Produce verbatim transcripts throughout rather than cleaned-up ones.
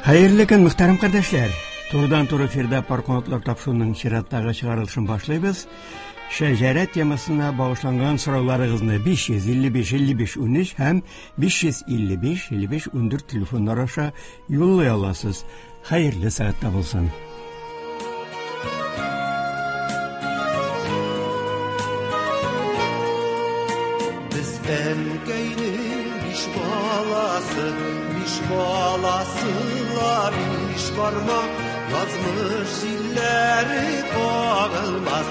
Хәерле көн, мөхтәрәм кардәшләр. Турыдан-туры эфирда Пар канатлар тапшыруының чираттагы чыгарылышын башлыйбыз. Шәҗәрә темасына багышланган сорауларыгызны биш йөз илле биш илле биш унөч һәм биш йөз илле биш илле биш ундүрт телефоннар аша юллый аласыз. Хәерле сәгатьтә булсын. Без әнкәйнең биш баласы, биш баласы ла биш бармак, язмыш җилләре кагылмас.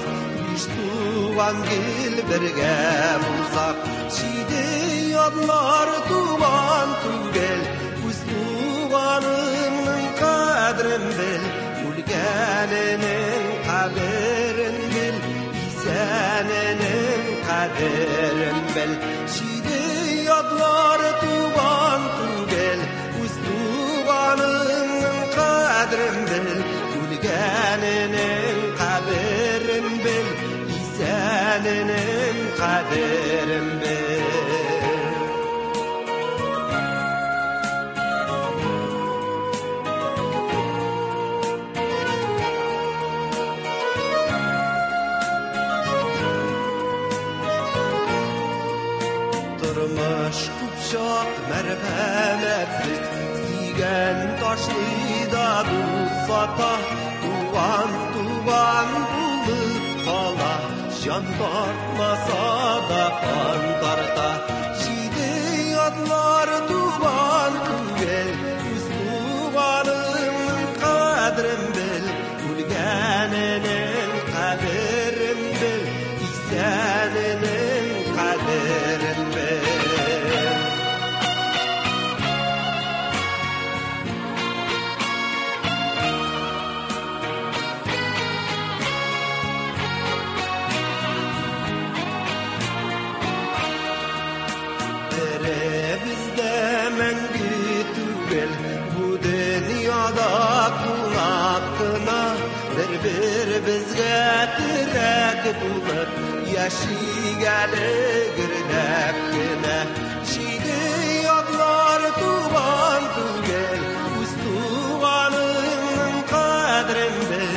Биш туган гел бергә булсак, җиде ятлар туган түгел, үз туганыңның кадерен бел, үлгәненең каберен бел, исәненең кадерен бел. Җиде ятлар туган түгел, үз туганыңның кадерен бел, үлгәненең каберен бел, исәненең кадерен бел. Тормыш күп чак мәрхәмәтсез, сөйгән ташлый да дус сата, туган туган булып кала, җан тартмаса да кан тарта. Җиде ятлар туган түгел, үз туганыңның кадерен бел, үлгәненең каберен бел, исәненең кадерен бел. Беребез дә мәңге түгел, бу дөньяда кунак кына, бер-беребезгә терәк булып, яшик әле гөрләп кенә. Җиде ятлар туган түгел, үз туганыңның кадерен бел,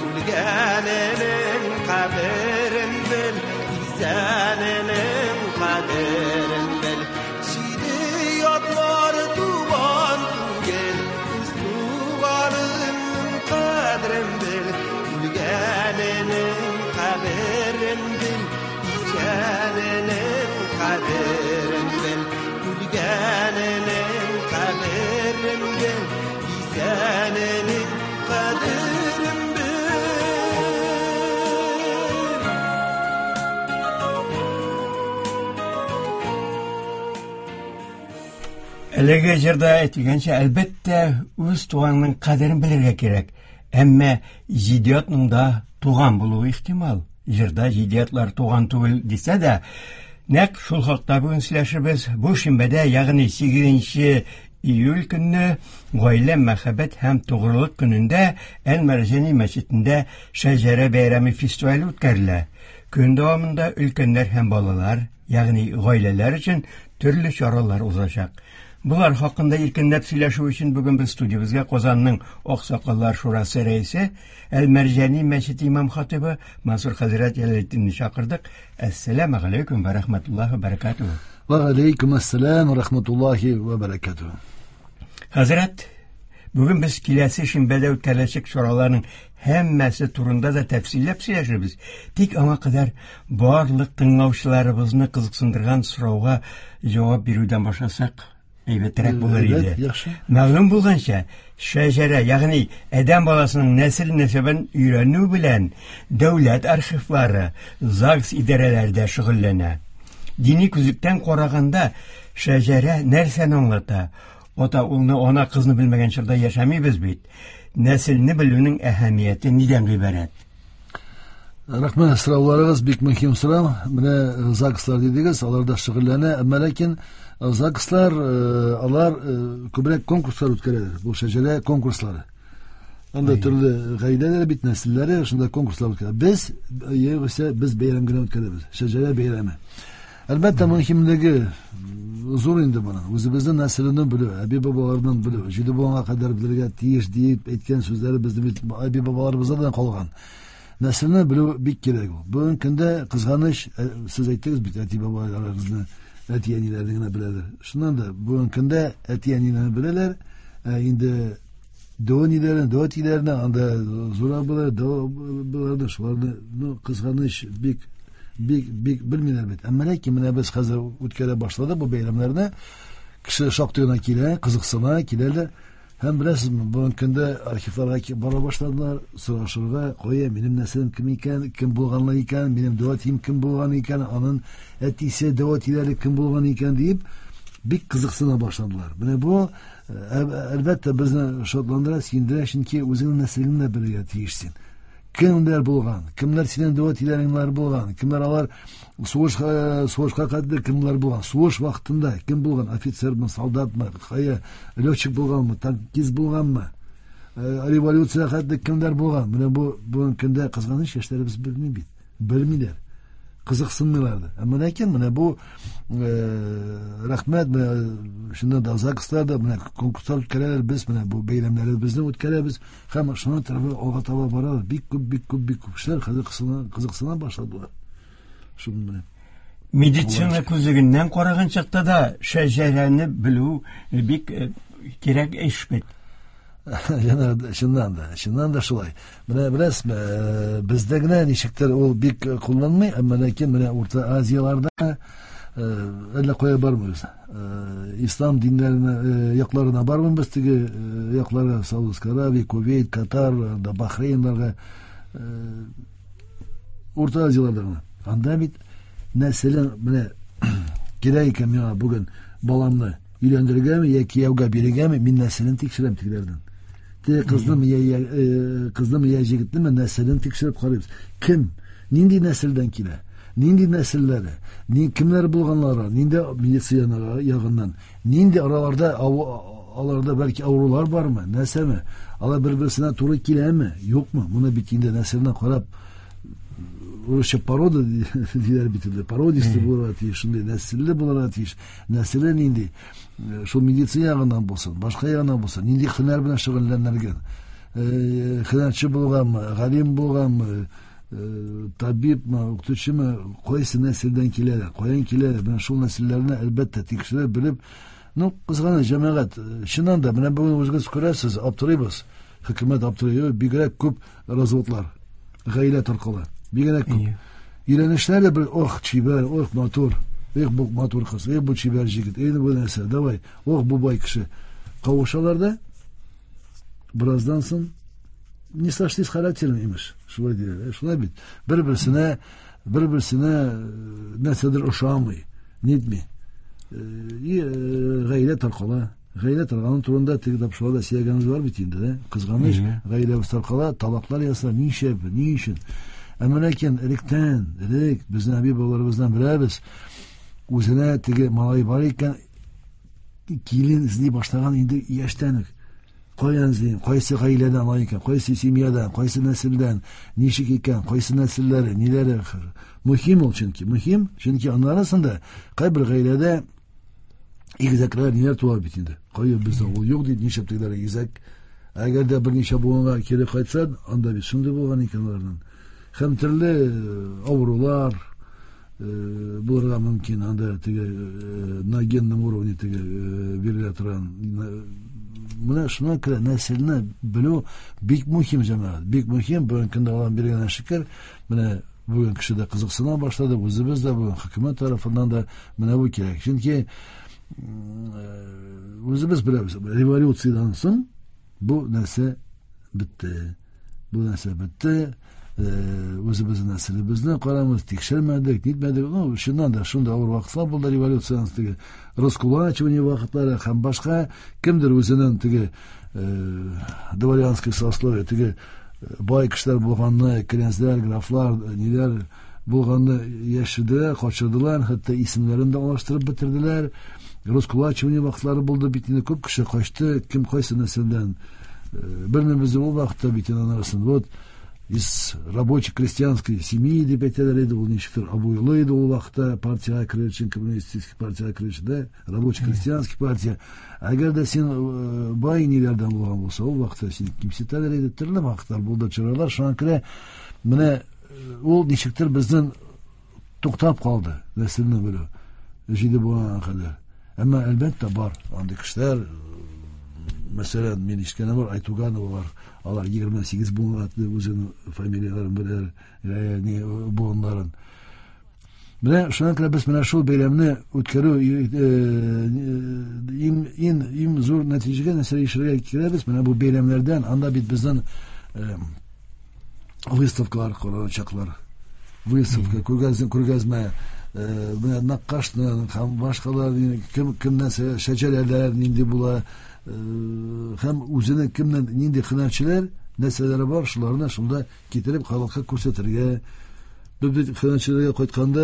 үлгәненең каберен бел, исәненең кадерен бел. Җиде ятлар туган түгел, үз туганыңның кадерен бел, үлгәненең каберен бел, исәненең кадерен бел, үлгәненең каберен бел, исәненең кадерен бел. Әлеге җырда әйтелгәнчә, әлбәттә, үз туганның кадерен белергә кирәк. Әмма җиде ятның да туган булуы ихтимал. Җырда җиде ятлар туган түгел дисә дә, нәкъ шул хакта бүген сөйләшербез. Бу шимбәдә, ягъни сигезенче июль көнне гаилә, мәхәббәт һәм тугрылык көнендә Әл-Мәрҗани мәчетендә Шәҗәрә бәйрәме фестивале үткәрелә. Көн дәвамында өлкәннәр һәм балалар, ягъни гаиләләр өчен төрле чаралар узачак. Булар хакында иркенләп сөйләшү өчен бүген без студиябезгә Казанның Аксакаллар шурасы рәисе, Әл-Мәрҗани мәчете имам хатибы Мансур хәзрәт Җәләлетдинне чакырдык. Әссәламү галәйкүм ва рахматуллаһи ва баракатуһу. Ва галәйкүм ассалам ва рахматуллаһи ва баракатуһу. Хәзрәт, бүген без киләсе шимбәдә үткәреләчәк чараларның һәммәсе турында да тәфсилләп сөйләшербез. Тик аңа кадәр барлык тыңлаучыларыбызны кызыксындырган сорауга җавап бирүдән башласак әйбәтрәк булыр Әйбәт, иде. яхшы. Мәгълүм булганча, шәҗәрә, ягъни адәм баласының нәсел нәсәбен өйрәнү белән дәүләт архивлары, ЗАГС идарәләре дә шөгыльләнә. Дини күзлектән караганда шәҗәрә нәрсәне аңлата? Ата улны, ана кызны белмәгән чорда яшәмибез бит. Нәселне белүнең әһәмияте нидән гыйбарәт? Рәхмәт, сорауларыгыз бик мөһим сорау. Менә ЗАГСлар дидегез, алар да шөгыльләнә, әмма ләкин ЗАГСлар, э, алар, э, күбрәк конкурслар үткәрәләр. Бу шәҗәрә конкурслары. Анда Әйе. төрле гаиләләр бит, нәселләре, шунда конкурслар үткәрә. Без, югыйсә, без бәйрәм генә үткәрәбез. Шәҗәрә бәйрәме. Әлбәттә, мөһимлеге зур инде моның. Үзебезнең нәселеннән белү, әби-бабалардан белү, җиде буынга кадәр белергә тиеш дип әйткән сүзләре безнең бит әби-бабаларыбыздан калган. Нәселне белү бик кирәк ул. Бүгенге көндә кызганыч, сез әйттегез бит, әти-бабаларыбызны, әти-әниләрне генә беләләр. Шуннан да бүгенге көндә әти-әниләрне беләләр, инде дәү әниләрне, дәү әтиләрне, анда зур абыйлар, дәү абыйларны, шуларны, ну, кызганыч, бик бик бик белмиләр бит. Әмма ләкин менә без хәзер үткәрә башладык бу бәйрәмнәрне. Кеше шактый гына килә, кызыксына, киләләр. Һәм беләсезме, бүгенге көндә архивларга бара башладылар, сорашырга, кая минем нәселем кем икән, кем булганлар икән, минем дәү әтием кем булган икән, аның әтисе, дәү әтиләре кем булган икән дип бик кызыксына башладылар. Менә бу әлбәттә безне шатландыра, сөендерә, чөнки үзеңнең нәселеңне белергә тиешсең. Кемнәр булган, кемнәр синең дәү әтиләреңнәр булган, кемнәр алар сугышка сугышка кадәр кемнәр булган, сугыш вакытында кем булган, офицермы, солдатмы, кая летчик булганмы, танкист булганмы, революция кадәр кемнәр булган. Менә бу бүгенге көндә кызганыч яшьләребез белми бит, белмиләр, кызыксынмыйлар да. Әмма ләкин менә бу рәхмәт, менә шунда да ЗАГСларда менә конкурслар үткәрәләр, без менә бу бәйрәмнәребезне үткәрәбез һәм шуның тарафы алга таба барабыз. Бик күп, бик күп, бик күп кешеләр хәзер кызыксына башладылар. Шуның белән. Медицина күзлегеннән караган чакта да шәҗәрәне белү бик кирәк эш бит. Чыннан да, чыннан да шулай. Менә беләсезме, бездә генә ничектер ул бик кулланмый, әмма ләкин менә Урта Азияларда әллә кая бармыйбыз. Ислам диннәренә якларына бармыйбыз, теге якларга, Саудовская Аравия, Кувейт, Катар, Бахрейнларга, Урта Азияларда гына. Анда бит нәселен менә кирәк икән миңа бүген баламны өйләндерергәме я кияүгә бирергәме, мин нәселен тикшерәм тегеләрдән. Те кызны я кызны я егетне нәселен тикшереп карыйбыз. Кем, нинди нәселдән килә, нинди нәселләре, ни кемнәр булганлары, нинди медицина ягыннан, нинди араларда аларда бәлки авырулар бармы, нәрсәме, алар бер-берсенә туры киләме, юкмы? Моны бит инде нәселенә карап, урысча порода диләр бит инде, породистый булырга тиеш, шундый нәселле булырга тиеш, нәселе нинди, шул медицина ягыннан булсын, башка ягыннан булсын, нинди һөнәр белән шөгыльләнергән, һөнәрче булганмы, галим булганмы, табибмы, укытучымы, кайсы нәселдән киләләр, каян киләләр, менә шул нәселләрне әлбәттә тикшереп белеп, ну, кызганыч, җәмәгать, чыннан да, менә бүген үзегез күрәсез, аптырыйбыз, хөкүмәт аптырый, бигрәк күп разводлар, гаилә таркала. Бигрәк күп. Өйләнешләр дә бер, ох, чибәр, ох, матур, эх, бу матур кыз, эх, бу чибәр җегет, эх, бу нәрсә, давай, ох, бу бай кеше. Кавышалар да, бераздан соң не сошлись характером, имеш. Шулай диләр. Шулай бит. Бер-берсенә, бер-берсенә нәрсәдер ошамый, нитми. И гаилә таркала. Гаилә таркалган турында теге тапшыруда сөйләгәнебез бар бит инде, да? Кызганыч, гаиләбез таркала, талаклар ясала, нишләп, ни өчен? Әмма ләкин электән, элек безнең әби-бабаларыбыздан беләбез, үзенә теге малай бар икән, килен эзли башлаган инде яшьтән үк. Каян эзлим, кайсы гаиләдән алай икән, кайсы семьядан, кайсы нәселдән, ничек икән, кайсы нәселләре, ниләре. Мөһим ул чөнки, мөһим, чөнки аның арасында кайбер гаиләдә игезәкләр ниләр туа бит инде. Кая бездә ул юк дип, нишләп тегеләр игезәк. Әгәр дә берничә буынга кире кайтса, анда бит шундый булган икән аларның. Һәм төрле авырулар булырга мөмкин, анда теге на генном уровне теге бирелә торган. Менә шуңа күрә нәселне белү бик мөһим, җәмәгать, бик мөһим. Бүгенге көндә Аллаһ биргән шөкер, менә бүген кеше дә кызыксына башлады, үзебез дә бүген хөкүмәт тарафыннан да менә бу кирәк. Чөнки үзебез беләбез, революциядән соң бу нәрсә бетте. Бу нәрсә бетте. Үзебезнең нәселебезне карамыз, тикшермәдек, нитмәдек. Ну, чыннан да шунда авыр вакытлар булды, революциянең теге раскулачивание вакытлары һәм башка. Кемдер үзенең теге дворянский сословие, теге бай кешеләр булганны, князьләр, графлар, ниләр булганны яшерделәр, качырдылар, хәтта исемнәрен дә алыштырып бетерделәр. Раскулачивание вакытлары булды бит инде, күп кеше качты, кем кайсы нәселдән. Белмибез ул вакытта бит инде анысын. Вот Из рабоче-крестьянской семьи дип әйтәләр иде, ул ничектер абруйлы иде ул вакытта партиягә керер өчен, коммунистик партиягә керер өчен дә, рабоче-крестьянский партия. Әгәр дә син бай ниләрдән булган булса, ул вакытта сине кимсетәләр иде, төрле вакытлар булды, чаралар. Шуңа күрә менә ул ничектер безнең туктап калды, нәселне белү, җиде буынга кадәр. Әмма әлбәттә бар андый кешеләр. Мәсәлән, мин ишеткәнем бар, Айтугановалар, алар егерме сигез буынга үзенең фамилияләрен беләләр, буыннарын. Менә шуңа күрә без менә шул бәйрәмне үткәрү иң иң иң зур нәтиҗәгә нәрсә ирешергә кирәк, менә бу бәйрәмнәрдән, анда бит безнең выставкалар каралачаклар. Выставка, күргәзмә, күргәзмә, менә Наккашны һәм башкалар, кем кемнән шәҗәрәләр нинди була, һәм үзенең кемнән нинди һөнәрчеләр нәрсәләре бар, шуларны шунда китереп халыкка күрсәтергә. Без бит һөнәрчеләргә кайтканда,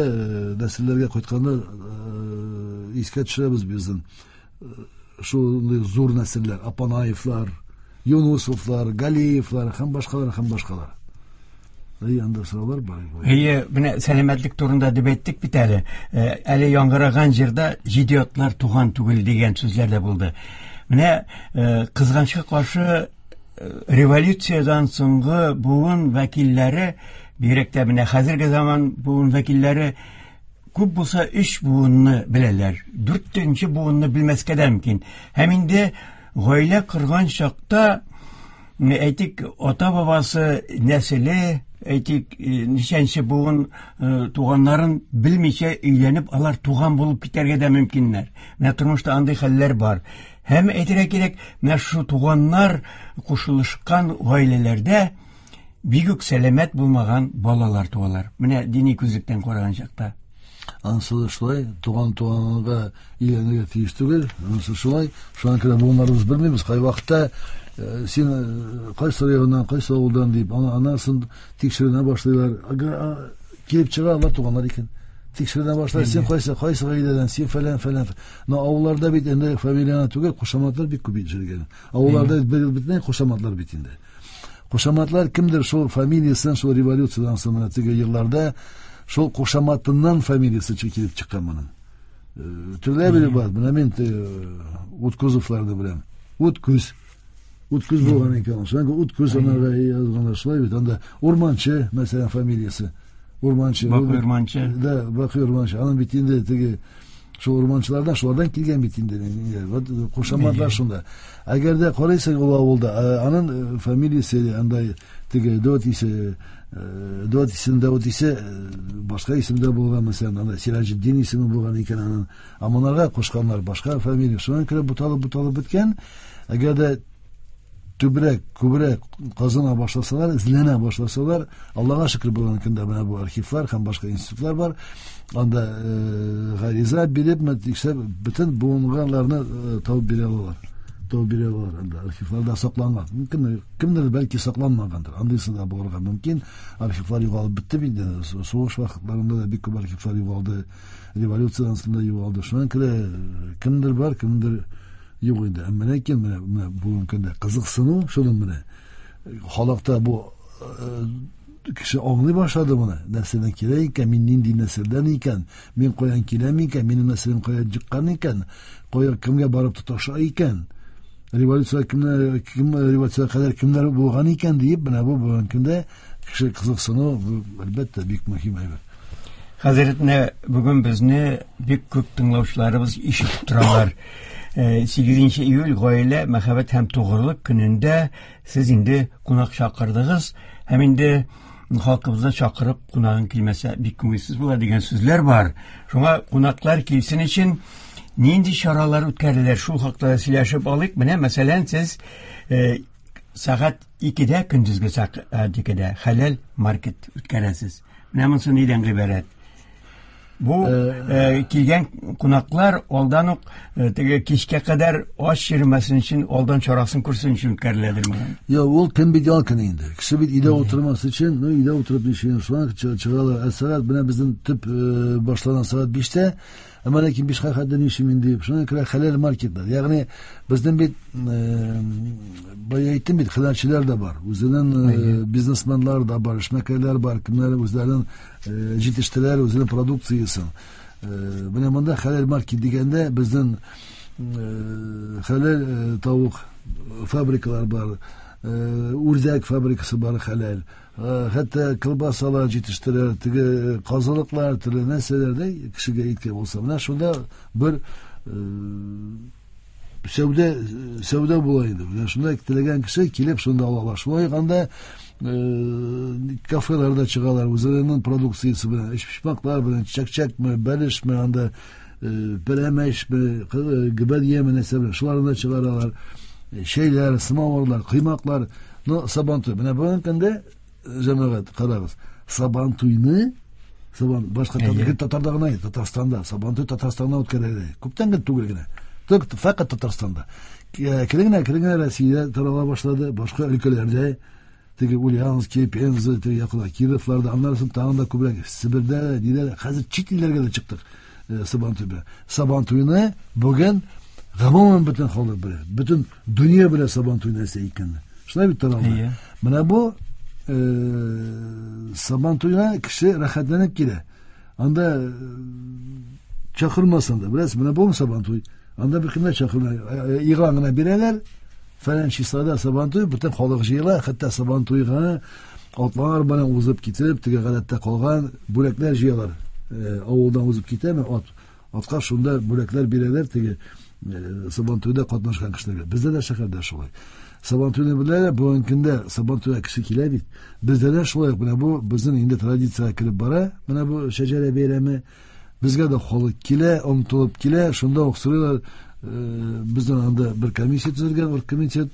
нәселләргә кайтканда искә төшерәбез безнең шундый зур нәселләр, Апанаевлар, Юнусовлар, Галиевлар һәм башкалар һәм башкалар. Әйе, анда сораулар бар. Әйе, менә сәламәтлек турында дип әйттек бит әле. Әле яңгыраган җырда җиде атлар туган түгел дигән сүзләр дә булды. Менә кызганычка каршы революциядән соңгы буын вәкилләре, бигрәк тә менә хәзерге заман буын вәкилләре күп булса өч буынны беләләр. Дүртенче буынны белмәскә дә мөмкин. Һәм инде гаилә корган чакта, әйтик, ата-бабасы нәселе, әйтик, ничәнче буын туганнарын белмичә өйләнеп, алар туган булып китәргә дә мөмкиннәр. Менә тормышта андый хәлләр бар. Һәм әйтергә кирәк, менә шу туганнар кушылышкан гаиләләрдә бик үк сәламәт булмаган балалар туалар. Менә дини күзлектән караган чакта. Анысы да шулай, туган туганга өйләнергә тиеш түгел. Анысы шулай. Шуңа күрә буыннарыбыз белмибез. Кай вакытта син кайсы районнан, кайсы авылдан дип, анасын тикшеренә башлыйлар. Килеп чыга, алар туганнар икән. Тикшеренә башлар, син кайсы, кайсы гаиләдән, син фәлән, фәлән. Но авылларда бит инде фамилияне түгел, кушаматлар бик күп җөргән. Авылларда бөтенләй кушаматлар бит инде. Кушаматлар кемдер шул фамилиясен, шул революциядән соң менә теге елларда шул кушаматыннан фамилиясе килеп чыккан моның. Төрле бер бар. Менә мин Уткузовларны беләм. Уткуз. Уткуз булган икән. Шуңа Уткуз анарга язганнар шулай бит. Анда Урманчы, мәсәлән, фамилиясе. Урманчы. Бакый Урманчы. Да, Бакый Урманчы. Аның бит инде теге шул урманчылардан, шулардан килгән бит инде. Вот кушаматлар шунда. Әгәр дә карыйсың ул авылда, аның фамилиясе анда теге Дот исе, Дот исем, Дот исе башка исемдә булган, мәсәлән, анда Сираҗетдин исеме булган икән аның. Ә монарга кушканнар башка фамилия. Шуңа күрә буталып буталып беткән. Әгәр дә түбрәк, күбрәк казына башласалар, эзләнә башласалар, Аллага шөкер, бүгенге көндә менә бу архивлар һәм башка институтлар бар. Анда гариза биреп, тикшереп, бөтен буынганларны табып бирә алалар. Табып бирә алалар. Анда архивларда сакланган. Мөмкин, кемдер бәлки сакланмагандыр. Андыйсы да булырга мөмкин. Архивлар югалып бетте бит. Сугыш вакытларында да бик күп архивлар югалды. Революциядән соң да югалды. Шуңа күрә кемдер бар, кемдер юк инде. Әмма ләкин менә менә бүгенге көндә кызыксыну шуның менә халыкта бу кеше аңлый башлады моны. Нәрсәдән килә икән, мин нинди нәселдән икән, мин каян киләм икән, минем нәселем кая чыккан икән, кая кемгә барып тоташа икән, революция кемнәр, кем революция кадәр кемнәр булган икән диеп, менә бу бүгенге көндә кеше кызыксыну әлбәттә бик мөһим әйбер. Хәзрәт, менә бүген безне бик күп тыңлаучыларыбыз ишетеп торалар. Сигезенче июль гаилә, мәхәббәт һәм тугрылык көнендә сез инде кунак чакырдыгыз һәм инде халкыбызны чакырып кунагың килмәсә бик күңелсез була дигән сүзләр бар. Шуңа кунаклар килсен өчен нинди чаралар үткәрелер, шул хакта сөйләшеп алыйк. Менә мәсәлән, сез сәгать икедә, көндезге сәгать икедә хәләл маркет үткәрәсез. Менә монысы нидән гыйбарәт? Бу килгән кунаклар алдан ук теге кичкә кадәр аш йөрмәсен өчен алдан чарасын күрсен өчен үткәреләдерме? Юк, ул көн бит ял көне инде. Кеше бит өйдә утырмас өчен, ну өйдә утырып ничек шуңа чыгалар. Ә сәгать менә безнең төп башланган сәгать биштә, Әмма ләкин бишкә хәтле ничем инде. Шуңа күрә хәләл маркетлар. Ягъни безнең бит бая әйттем бит, хәләлчеләр дә бар. Үзенең бизнесменлар да бар, эшмәкәрләр бар, кемнәр үзләрен җитештерәләр, үзенең продукциясен. Менә монда хәләл маркет дигәндә безнең хәләл тавык фабрикалар бар, үрдәк фабрикасы бар хәләл. Хәтта колбасалар җитештерә, теге казылыклар, төрле нәрсәләр дә кешегә иткән булса. Менә шунда бер сәүдә сәүдә була инде. Менә шунда теләгән кеше килеп шунда ала ала. Шулай анда кафеларда чыгалар, үзләренең продукциясе белән, эчпочмаклар белән, чәк-чәкме, бәлешме, анда пәрәмәчме, гөбәдияме нәрсә белән, шуларны да чыгаралар. Чәйләр, самавырлар, коймаклар. Но Сабантуй. Менә бүгенге көндә җәмәгать, карагыз. Сабантуйны Сабан башка татарда гына, Татарстанда Сабантуй Татарстанда үткәрелә. Күптән генә түгел генә. Тик фәкать Татарстанда. Кергенә кергенә Россиядә тарала башлады, башка өлкәләрдә, теге Ульяновский, Пенза, теге якында Кировларда, аннан соң тагын да күбрәк Себердә, нидә, хәзер чит илләргә дә чыктык Сабантуй белән. Сабантуйны бүген гомумән бөтен халык белә, бөтен дөнья белә Сабантуй нәрсә икәнен. Шулай бит таралды. Менә бу Сабантуйга кеше рәхәтләнеп килә. Анда чакырмасын да, беләсез, менә бу Сабантуй. Анда бер кемне чакырмай, игълан гына бирәләр. Фәлән числода Сабантуй, бөтен халык җыела, хәтта Сабантуйга атлар белән узып китеп, теге гадәттә калган бүләкләр җыялар. Авылдан узып китәме ат, атка шунда бүләкләр бирәләр теге Сабантуйда катнашкан кешеләргә. Бездә дә шәһәрдә шулай. Сабантуйны беләләр, бүгенге көндә Сабантуйга кеше килә бит. Бездә дә шулай, менә бу безнең инде традициягә кереп бара. Менә бу шәҗәрә бәйрәме. Безгә дә халык килә, омтылып килә, шунда ук сорыйлар. Безнең анда бер комиссия төзелгән, оргкомитет.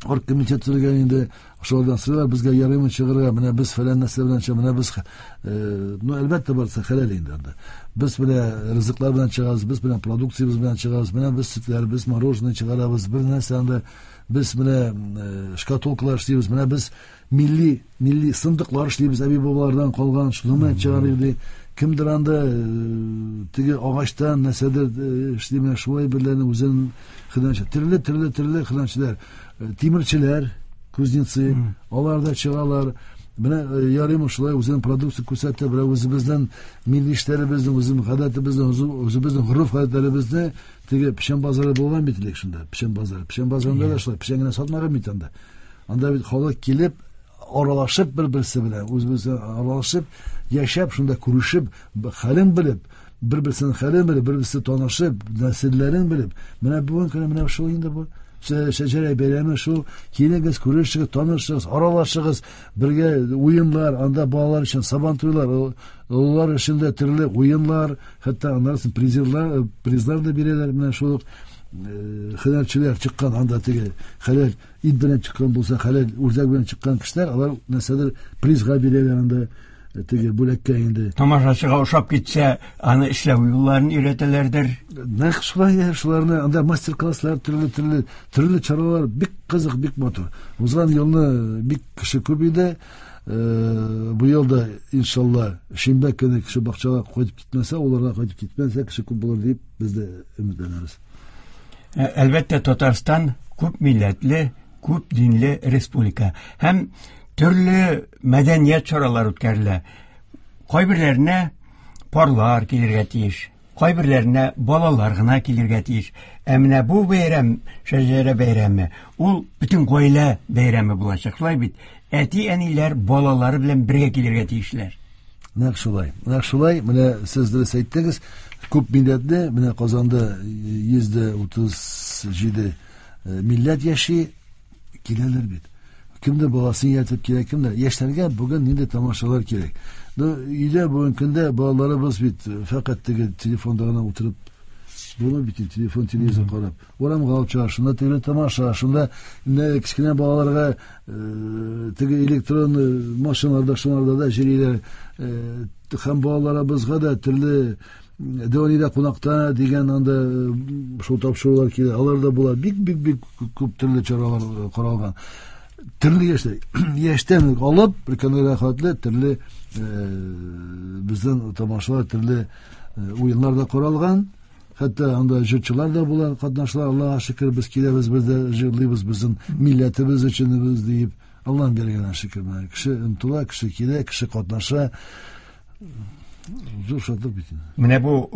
Оргкомитет төзелгән инде, шулардан сорыйлар, безгә ярыймы чыгарга, менә без фәлән нәрсә белән чыга, менә без, ну, әлбәттә, барсы хәләл инде анда. Без менә ризыклар белән чыгабыз, без менә продукциябез белән чыгабыз, менә без сөтләр, без мороженое чыгарабыз, бер нәрсә анда, без менә шкатулкалар эшлибез, менә без милли, милли сындыклар эшлибез, әби-бабалардан калган, шуны менә чыгарыйк ди. Кемдер анда теге агачтан нәрсәдер эшли, менә шулай берләрне үзен хыянәтче, төрле, төрле, төрле хыянәтчеләр, тимерчеләр, кузнецы, алар да чыгалар. Менә ярыймы шулай үзенең продукция күрсәтә, берәү үзебезнең милли эшләребезне, үзебезнең гадәтебезне, үзебезнең гореф-гадәтләребезне теге печән базары булган бит элек шунда, печән базары. Печән базарында да шулай печән генә сатмаган бит анда. Анда бит халык килеп, аралашып бер-берсе белән, үз-берсе аралашып, яшәп, шунда күрешеп, хәлен белеп, бер-берсенең хәлен белеп, бер-берсе танышып, нәселләрен белеп. Менә бүген көне менә шул инде бу. Шәҗәрә бәйрәме шул. Килегез, күрешегез, танышыгыз, аралашыгыз, бергә уеннар, анда балалар өчен сабантуйлар, олылар өчен дә төрле уеннар, хәтта аннан соң призерлар, призлар да бирәләр. Менә шул ук хәләлчеләр чыккан, анда теге хәләл ит белән чыккан булса, хәләл үрдәк белән чыккан кешеләр, алар нәрсәдер призга бирәләр анда, теге бүләккә инде. Тамашачыга ошап китсә, аны эшләү юлларын өйрәтәләрдер. Нәкъ шулай, шуларны анда мастер-класслар, төрле-төрле, төрле чаралар, бик кызык, бик матур. Узган елны бик кеше күп иде. Бу елда иншалла шимбә көне кеше бакчага кайтып китмәсә, уларга кайтып китмәсә, кеше күп булыр дип без дә өметләнәбез. Әлбәттә, Татарстан күп милләтле, күп динле республика. Һәм төрле мәдәният чаралары үткәрелә. Кайберләренә парлар килергә тиеш, кайберләренә балалар гына килергә тиеш. Ә менә бу бәйрәм, шәҗәрә бәйрәме, ул бөтен гаилә бәйрәме булачак. Шулай бит, әти-әниләр балалары белән бергә килергә тиешләр. Нәкъ шулай. Нәкъ шулай. Менә сез дөрес әйттегез. Күп милләтле, менә Казанда йөз дә утыз җиде милләт яши, киләләр бит. Кемдер баласын ияртеп килә, кемдер. Яшьләргә бүген нинди тамашалар кирәк. Ну, өйдә бүгенге көндә балаларыбыз бит фәкать теге телефонда гына утырып, буны бит телефон, телевизор карап. Урамга алып чыга, шунда теге тамаша, шунда кечкенә балаларга теге электрон машиналарда, шунарда да йөриләр. Һәм балаларыбызга да төрле Дәвәлидә кунакта дигән анда шул тапшырулар килә. Алар да була. Бик, бик, бик күп төрле чаралар каралган. Төрле яшьтә, яшьтән алып өлкәннәргә хәтле төрле безнең тамашалар, төрле уеннар да коралган. Хәтта анда җырчылар да була, катнашлар. Аллаһка шөкер, без киләбез, без дә җырлыйбыз безнең милләтебез өчен без диеп. Аллаһ биргән шөкер. Кеше омтыла, кеше килә, кеше катнаша. Зур шатлык бит. Менә бу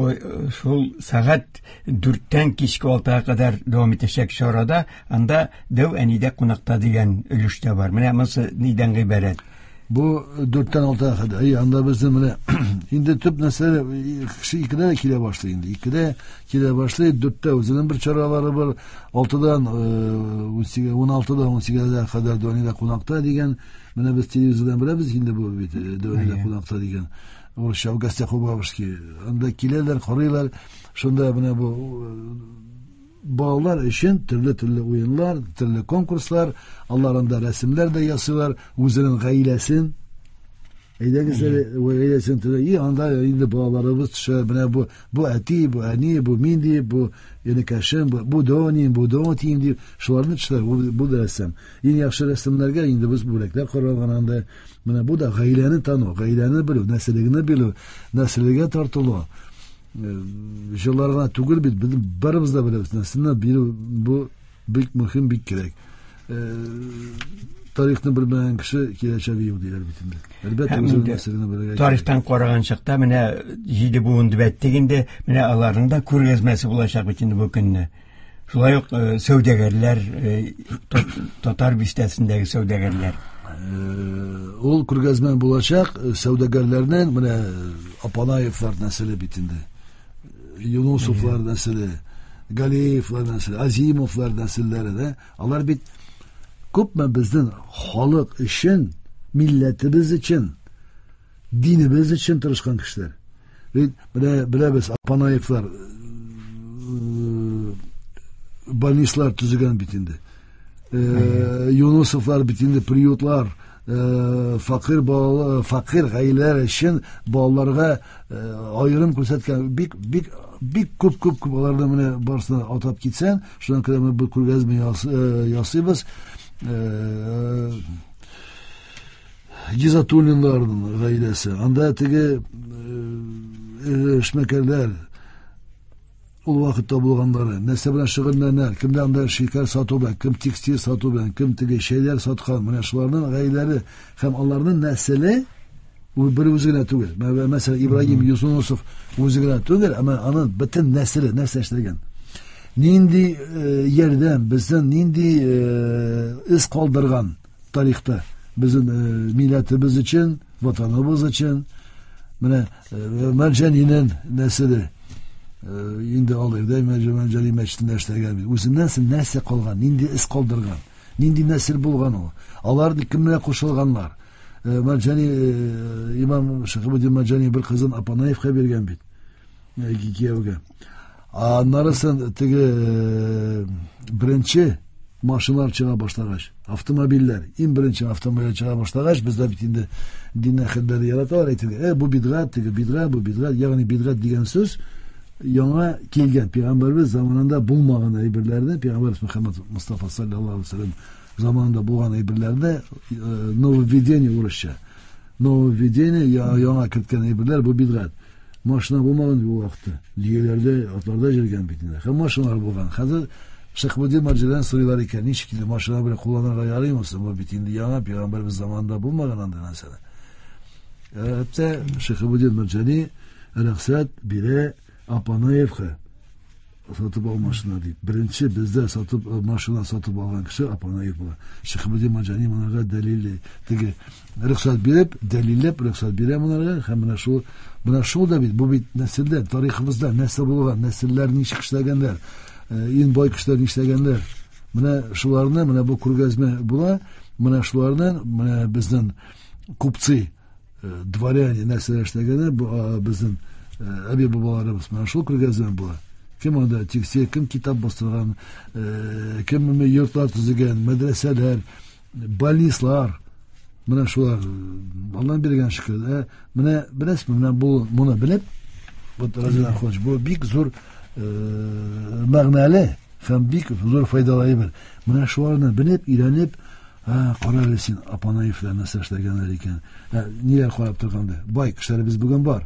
шул сәгать дүрттән кичке алтыга кадәр дәвам итәчәк чарада анда дәү әнидә кунакта дигән өлеш тә бар. Менә монысы нидән гыйбарәт? Бу дүрттән алтыга кадәр. Әй, анда безнең менә инде төп нәрсә кеше икедә килә башлый инде. Икедә килә башлый, дүрттә үзенең бер чаралары бар. Алтыдан ун алтыдан ун сигезгә кадәр дәү әнидә кунакта дигән. Менә без телевизордан беләбез инде бу бит дәү әнидә кунакта дигән. Урысча в гостях у бабушки. Анда киләләр, карыйлар. Шунда менә бу балалар өчен төрле-төрле уеннар, төрле конкурслар, алар анда рәсемнәр дә ясыйлар, үзенең гаиләсен. Әйдәгез әле гаиләсен төрле. И анда инде балаларыбыз төшә, менә бу бу әти, бу әни, бу мин дип, бу энекәшем, бу бу доним, бу донтим дип, шуларны төшәләр. Бу, бу да рәсем. Иң яхшы рәсемнәргә инде без бүләкләр каралган анда. Менә бу да гаиләне тану, гаиләне белү, нәселлегне белү, нәселгә тартылу. Җырлар гына түгел бит, без барыбыз да беләбез. Нәселне белү бу бик мөһим, бик кирәк. Тарихны белмәгән кеше киләчәге юк диләр бит инде. Әлбәттә, үзенең нәселен белергә. Тарихтан караган чакта менә җиде буын дип әйттек инде, менә аларның да күргәзмәсе булачак бит инде бу көнне. Шулай ук сәүдәгәрләр, татар бистәсендәге сәүдәгәрләр. Ул күргәзмә булачак сәүдәгәрләрнең, менә Апанаевлар нәселе бит инде. Юнусовлар нәселе, Галиевлар нәселе, Азимовлар нәселләре дә. Алар бит күпме безнең халык өчен, милләтебез өчен, динебез өчен тырышкан кешеләр. Бит менә беләбез, Апанаевлар больницалар төзегән бит инде. Юнусовлар бит инде приютлар, факир балалар, факир гаиләләр өчен балаларга аерым күрсәткән бик бик бик күп күп күп аларны менә барысына атап китсәң, шуннан күрә бу күргәзмә ясыйбыз. Гизатуллинларның гаиләсе, анда теге эшмәкәрләр ул вакытта булганнары, нәрсә белән шөгыльләнәләр, кемдә анда шикәр сату белән, кем текстиль сату белән, кем теге шәйләр саткан, менә шуларның гаиләләре һәм аларның нәселе ул бер үзе генә түгел. Мәсәлән, Ибраһим Юнусов үзе генә түгел, әмма аның бөтен нәселе нәрсә эшләгән. Нинди ярдәм, безнең нинди эз калдырган тарихта безнең милләтебез өчен, ватаныбыз өчен. Менә Мәрҗанинең нәселе инде алыр да Мәрҗани мәчетендә эшләгән бит. Үзеннән соң нәрсә калган, нинди эз калдырган, нинди нәсел булган ул. Алар кем белән кушылганнар. Мәрҗани имам Шихабуддин Мәрҗани бер кызын Апанаевка биргән бит кияүгә. Аннарысын теге беренче машиналар чыга башлагач, автомобильләр, иң беренче автомобильләр чыга башлагач, бездә бит инде дин әһелләре яраталар әйтергә, э, бу бидгать, теге бидгать, бу бидгать, ягъни бидгать дигән сүз яңа килгән пәйгамбәрбез заманында булмаган әйберләрне, пәйгамбәрбез Мөхәммәд Мустафа саллаллаһу алейһи ва саллям заманында булган әйберләрне нововведение урысча, нововведение яңа керткән әйберләр бу бидгать. Машина булмаган бу вакытта. Дөяләрдә, атларда йөргән бит инде. Һәм машиналар булган. Хәзер Шихабуддин Мәрҗанидән сорыйлар икән, ничек инде машина белән кулланырга ярыймы соң? Бу бит инде яңа пәйгамбәрбез заманында булмаган андый нәрсә. Хәтта Шихабуддин Мәрҗани рөхсәт бирә Апанаевка сатып ал машина дип. Беренче бездә сатып машина сатып алган кеше Апанаев була. Шихабуддин Мәрҗани монарга дәлил теге рөхсәт биреп, дәлилләп рөхсәт бирә монарга һәм менә шул менә шул да бит бу бит нәселдә, тарихыбызда нәрсә булган, нәселләр ничек эшләгәннәр, иң бай кешеләр нишләгәннәр. Менә шуларны, менә бу күргәзмә була, менә шуларны, менә безнең купцы, дворяне нәрсәләр эшләгәннәр, бу безнең әби бабаларыбыз менә шул күргәзмә була. Кем анда текстиль, кем китап бастырган, кем йортлар төзегән, мәдрәсәләр, больницалар, менә шулар Аллаһ биргән шөкер. Менә беләсезме, менә бу моны белеп, вот Разил Ахунович, бу бик зур мәгънәле һәм бик зур файдалы әйбер. Менә шуларны белеп, өйрәнеп, Кара әле син, Апанаевлар нәрсә эшләгәннәр икән. Ниләр карап торганда? Бай кешеләребез бүген бар.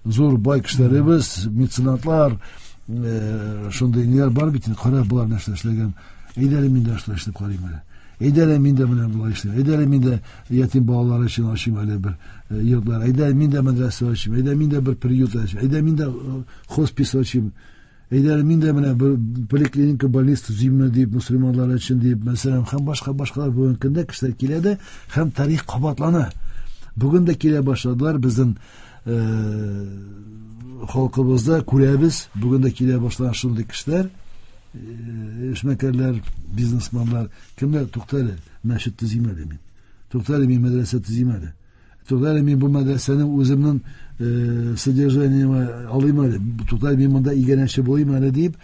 Зур бай кешеләребез, меценатлар, шундый ниләр бар бит инде. Кара, болар нәрсә эшләгән. Әйдә әле мин дә шулай эшләп карыйм әле. Әйдә әле мин дә менә болай эшлим. Әйдә әле мин дә ятим балалар өчен ачыйм әле бер йортлар. Әйдә мин дә мәдрәсә ачыйм. Әйдә мин дә бер приют ачыйм. Әйдә мин дә хоспис ачыйм. Әйдә мин дә менә бер поликлиника, больница төзиме дип, мөселманнар өчен дип, мәсәлән, һәм башка башкалар бүгенге көндә кешеләр килә дә, һәм тарих кабатлана. Бүген дә килә башладылар безнең халкыбызда күрәбез, бүген дә килә башлаган шундый кешеләр, эшмәкәрләр, бизнесменлар, кемнәр, тукта әле, мәчет төзим әле мин. Тукта әле мин мәдрәсә төзим әле. Тукта әле мин бу мәдрәсәнең үземнең содержаниемә алыйм әле. Тукта әле мин монда иганәче булыйм әле дип,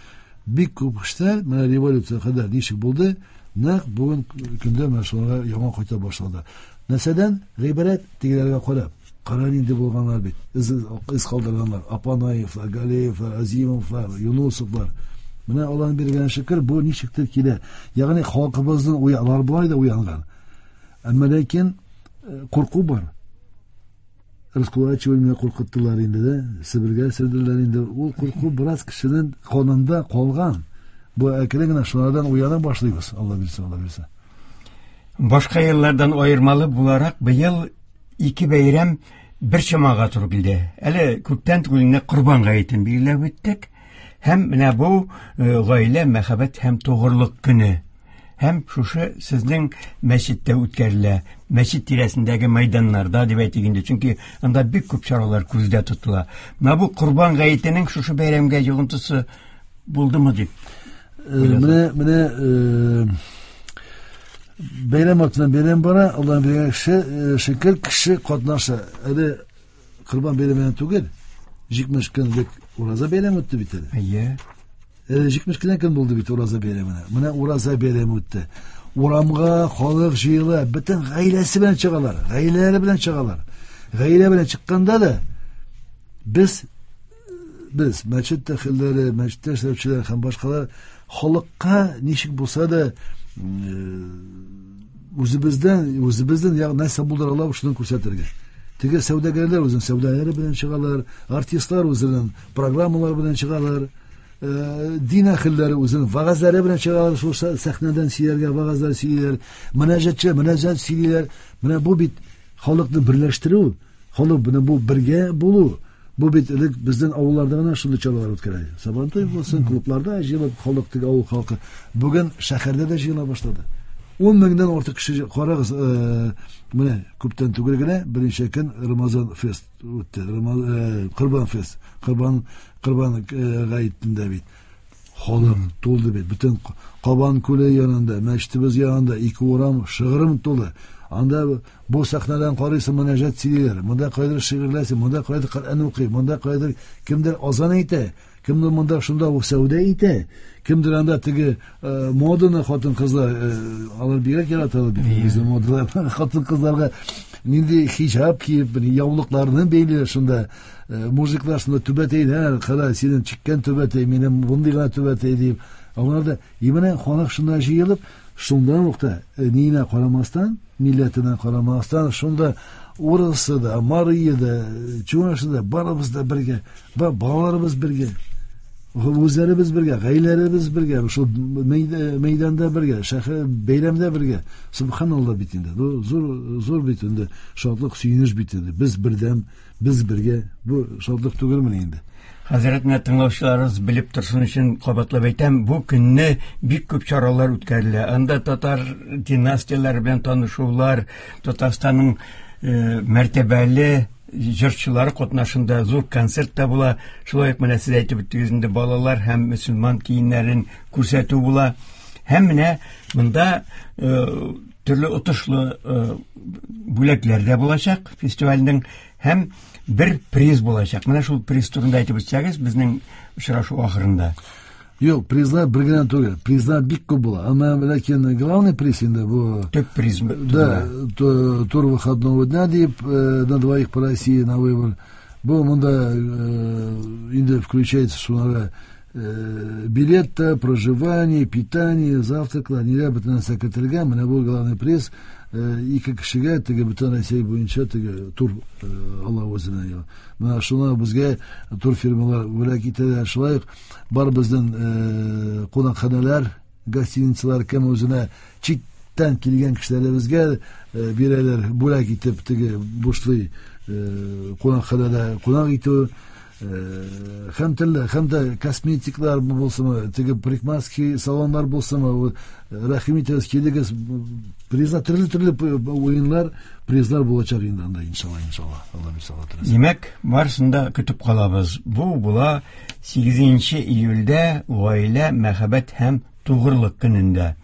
бик күп кешеләр менә революция кадәр ничек булды, нәкъ бүген көндә менә шуларга яңа кайта башлады. Нәрсәдән гыйбрәт? Тегеләргә карап. Кара нинди булганнар бит. Из, из калдырганнар. Апанаевлар, Галеевлар, Азимовлар, Юнусовлар. Менә Аллаһның биргән шөкер, бу ничектер килә. Ягъни халкыбызның уялар болай да уянган. Әмма ләкин курку бар. Раскулачивание куркыттылар инде дә, Себергә сөрделәр инде. Ул курку бераз кешенең канында калган. Бу әкрен генә шулардан уяна башлыйбыз, Алла бирсә, Алла бирсә. Башка еллардан аермалы буларак быел ике бәйрәм бер чамага туры килде. Әле күптән түгел генә Корбан гаетен билгеләп үттек. Һәм менә бу гаилә, мәхәббәт һәм тугрылык көне. Һәм шушы сезнең мәчеттә үткәрелә. Мәчет тирәсендәге мәйданнарда дип әйтик инде, чөнки анда бик күп чаралар күздә тотыла. Менә бу Корбан гаетенең шушы бәйрәмгә йогынтысы булдымы дип? Менә, менә бәйрәм артыннан бәйрәм бара, Аллаһның биргән кеше, шөкер, кеше катнаша. Әле Корбан бәйрәменнән түгел, җитмеш көнлек ураза бәйрәме үтте бит әле. Әйе. Әле җитмеш кенә көн булды бит ураза бәйрәменә. Менә ураза бәйрәме үтте. Урамга халык җыела, бөтен гаиләсе белән чыгалар, гаиләләре белән чыгалар. Гаилә белән чыкканда да без, без мәчет әһелләре, мәчеттә эшләүчеләр һәм башкалар халыкка ничек булса да үзебездән, үзебездән ягъни нәрсә булдыра алабыз, шуны күрсәтергә. Теге сәүдәгәрләр үзенең сәүдәләре белән чыгалар, артистлар үзенең программалары белән чыгалар, дин әһелләре үзенең вәгазьләре белән чыгалар, шул сәхнәдән сөйләргә вәгазьләр сөйлиләр, мөнәҗәтче мөнәҗәт сөйлиләр. Менә бу бит халыкны берләштерү, халык менә бу бергә булу. Бу бит элек безнең авылларда гына шундый чаралар үткәрә. Сабантуй булсын, клубларда җыелып халык, теге авыл халкы. Бүген шәһәрдә дә җыела башлады. Ун меңнән артык кеше, карагыз, менә күптән түгел генә берничә көн Рамазан фест үтте. Корбан фест, Корбан, Корбан гаетендә бит. Халык тулды бит. Бөтен Кабан күле янында, мәчетебез янында ике урам шыгрым тулы. Анда бу сәхнәдән карыйсың, мөнәҗәт сөйлиләр. Монда кайдыр шигырьләр, монда кайдыр Коръән укый, монда кайдыр кемдер азан әйтә, кемдер монда шунда ук сәүдә итә, кемдер анда теге моданы хатын-кызлар, алар бигрәк яраталар бит безнең модалар. Хатын-кызларга нинди хиҗаб киеп, яулыкларны бәйлиләр шунда. Мужиклар шунда түбәтәйләр, кара, синең чиккән түбәтәй, минем мондый гына түбәтәй дип. Алар да именно халык шунда җыелып, шунда ук та ниенә карамастан, милләтенә карамастан, шунда урысы да, марийы да, чувашы да, барыбыз да бергә, балаларыбыз бергә, үзләребез бергә, гаиләләребез бергә, шул мәйданда бергә, шәһәр бәйрәмдә бергә. Субханалла бит инде. Бу зур, зур бит инде, шатлык, сөенеч бит инде. Без бердәм, без бергә. Бу шатлык түгелмени инде? Хәзрәт, менә тыңлаучыларыбыз белеп торсын өчен кабатлап әйтәм, бу көнне бик күп чаралар үткәрелә. Анда татар династияләре белән танышулар, Татарстанның мәртәбәле җырчылары катнашында зур концерт та була. Шулай ук менә сез әйтеп үттегез инде, балалар һәм мөселман киемнәрен күрсәтү була. Һәм менә монда төрле отышлы бүләкләр дә булачак фестивальнең, һәм бер приз булачак. Менә шул приз турында әйтеп үтсәгез, безнең очрашу ахырында. Юк, призлар бер генә түгел, призлар бик күп була. Әмма ләкин главный приз инде бу төп приз. Да, тур выходного дня дип, на двоих по России на выбор. Бу монда инде включается шуларга Билет, проживание, питание, завтраклар, ниләр бөтен нәрсә кертелгән. Менә бу главный приз ике кешегә теге бөтен Россия буенча теге тур ала үзенә. Менә шуны безгә турфирмалар бүләк итәләр. Шулай ук бар безнең кунакханәләр, гостиницалар кем үзенә читтән килгән кешеләребезгә бирәләр бүләк итеп теге бушлай кунакханәдә кунак итү. Һәм төрле, һәм дә косметиклар булсынмы, теге парикмахерский салоннар булсынмы, рәхим итегез, килегез, призлар, төрле-төрле уеннар, призлар булачак инде анда, иншалла, иншалла. Алла бирсә, Алла теләсә. Димәк, барысын да көтеп калабыз. Бу була сигезенче июльдә гаилә, мәхәббәт һәм тугрылык көнендә.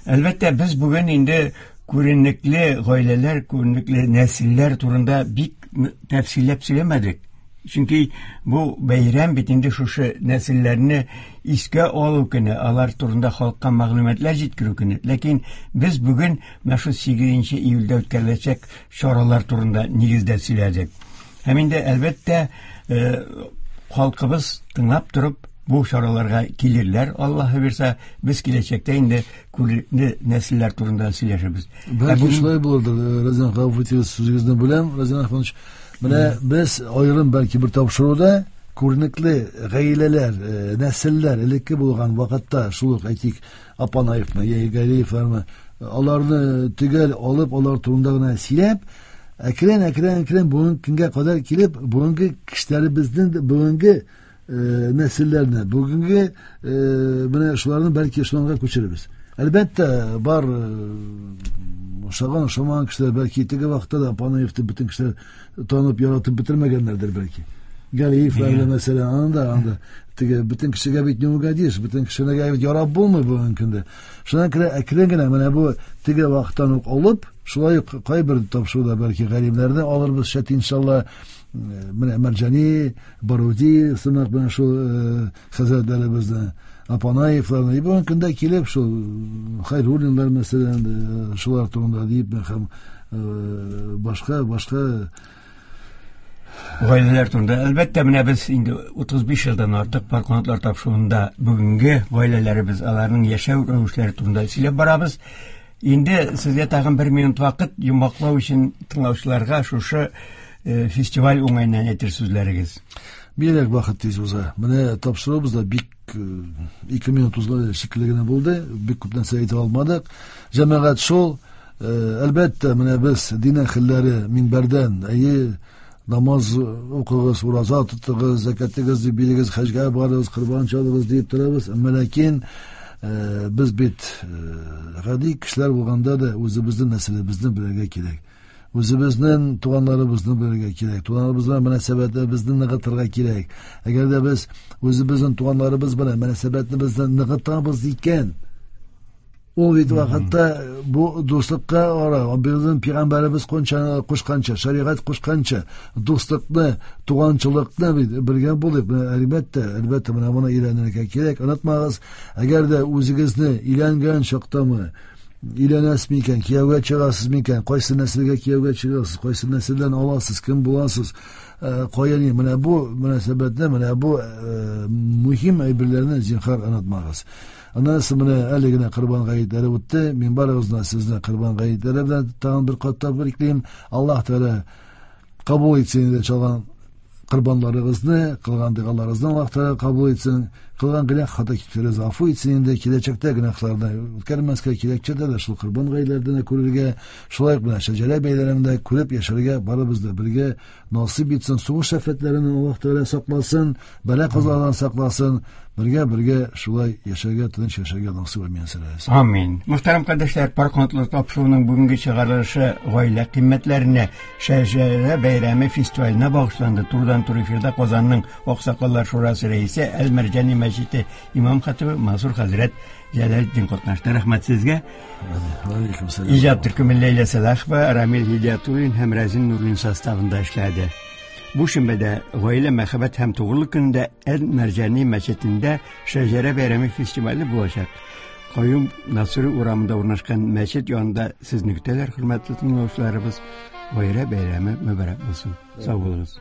Әлбәттә, без бүген инде күренекле гаиләләр, күренекле нәселләр турында бик тәфсилләп сөйләмәдек. Чөнки бу бәйрәм бит инде шушы нәселләрне искә алу көне, алар турында халыкка мәгълүматлар җиткерү көне. Ләкин без бүген менә шу сигезенче июльдә үткәреләчәк чаралар турында нигездә сөйләдек. Һәм инде әлбәттә, халкыбыз тыңлап торып бу чараларга килерләр, Аллаһы бирсә, без киләчәктә инде күренекле нәселләр турында сөйләшербез. Бәлки шулай булырдыр, Разин гафу итегез, сүзегезне бүләм, Разин Ахманович. Менә без аерым бәлки бер тапшыруда күренекле гаиләләр, нәселләр элекке булган вакытта, шул ук әйтик, Апанаевны, яки Галиевларны, аларны төгәл алып, алар турында гына сөйләп, әкрен, әкрен, әкрен бүгенге көнгә кадәр килеп, бүгенге кешеләребезнең бүгенге нәселләрне, бүгенге менә шуларны бәлки шуларга күчерербез. Әлбәттә, бар ошаган, ошамаган кешеләр, бәлки теге вакытта да Апанаевны бөтен кешеләр танып, яратып бетермәгәннәрдер бәлки. Галиевләрне мәсәлән, анда, анда теге бөтен кешегә бит не угодишь, бөтен кешегә бит ярап булмый бүгенге көндә. Шуңа күрә әкрен генә менә бу теге вакыттан ук алып, шулай ук кайбер тапшыруда бәлки галимнәрне алырбыз, шәт иншалла, менә Мәрҗани, Баруди сымак менә шул хәзрәтләребезне, Апанаевларны, и бүгенге көндә килеп шул Хайруллиннар мәсәлән, шулар турында дип һәм башка, башка гаиләләр турында. Әлбәттә, менә без инде утыз биш елдан артык Пар канатлар тапшыруында бүгенге гаиләләребез, аларның яшәү рәвешләре турында сөйләп барабыз. Инде сезгә тагын бер минут вакыт йомгаклау өчен тыңлаучыларга шушы фестиваль уңаеннан әйтер сүзләрегез. Бигрәк вакыт тиз уза. Менә тапшыруыбыз да бик ике минут узган шикелле генә булды. Бик күп нәрсә әйтә алмадык. Җәмәгать шул, әлбәттә, менә без дин әһелләре минбәрдән, әйе, намаз укыгыз, ураза тотыгыз, зәкәтегез дип бирегез, хаҗга барыгыз, корбан чалыгыз дип торабыз. Әмма ләкин без бит гади кешеләр булганда да үзебезнең нәселебезне белергә кирәк. Үзебезнең туганнарыбызны белергә кирәк. Туганнарыбыз белән мөнәсәбәтләребезне ныгытырга кирәк. Әгәр дә без үзебезнең туганнарыбыз белән мөнәсәбәтләребезне ныгытабыз икән, ул бит вакытта бу дуслыкка ара, безнең пәйгамбәребез кушканча, шәригать кушканча дуслыкны, туганчылыкны бит бергә булып, әлбәттә, әлбәттә менә моны өйрәнергә кирәк. Онытмагыз, әгәр дә үзегезне өйләнгән чактамы, өйләнәсез микән, кияүгә чыгасыз микән, кайсы нәселгә кияүгә чыгасыз, кайсы нәселдән аласыз, кем буласыз, кая ни, менә бу мөнәсәбәтне, менә бу мөһим әйберләрне зинһар онытмагыз. Аннан соң менә әле генә Корбан гаетләре үтте. Мин барыгызны сезне Корбан гаетләре белән тагын бер кат тәбриклим. Аллаһ Тәгалә кабул итсен инде чалган корбанларыгызны, кылган догаларыгызны Аллаһ Тәгалә кабул итсен, кылган гөнаһ хата китүләрегезне гафу итсен инде, киләчәктә гөнаһларны үткәрмәскә, киләчәктә дә шул корбан гаетләрен күрергә, шулай ук менә шәҗәрә бәйрәмендә күреп яшәргә барыбыз да бергә насыйп итсен. Сугыш афәтләреннән Аллаһ Тәгалә сакласын, бәла-казалардан сакласын, бергә бергә шулай яшәргә, тыныч яшәргә насыйп итсен. Амин. Мөхтәрәм кардәшләр, Пар канатлар тапшыруының бүгенге чыгарылышы гаилә кыйммәтләренә, шәҗәрә бәйрәме фестиваленә багышланды. Турыдан-туры эфирда Казанның Аксакаллар шурасы рәисе Әл-Мәрҗани мәчете имам хатибы Мансур хәзрәт Җәләлетдин катнашты. Рәхмәт сезгә. Алейкум сәлам. Иҗат төркеме Ләйлә Сәлахова, Рамил Һидиятуллин һәм Рәзин Нуруллин составында эшләде. Бу шимбәдә гаилә, мәхәббәт һәм тугрылык көнендә Әл-Мәрҗани мәчетендә шәҗәрә бәйрәме фестивале булачак. Каюм Насыйри урамында урнашкан мәчет янында сезне көтәләр, хөрмәтле тыңлаучыларыбыз. Гаилә бәйрәме мөбарәк булсын. Сау булыгыз.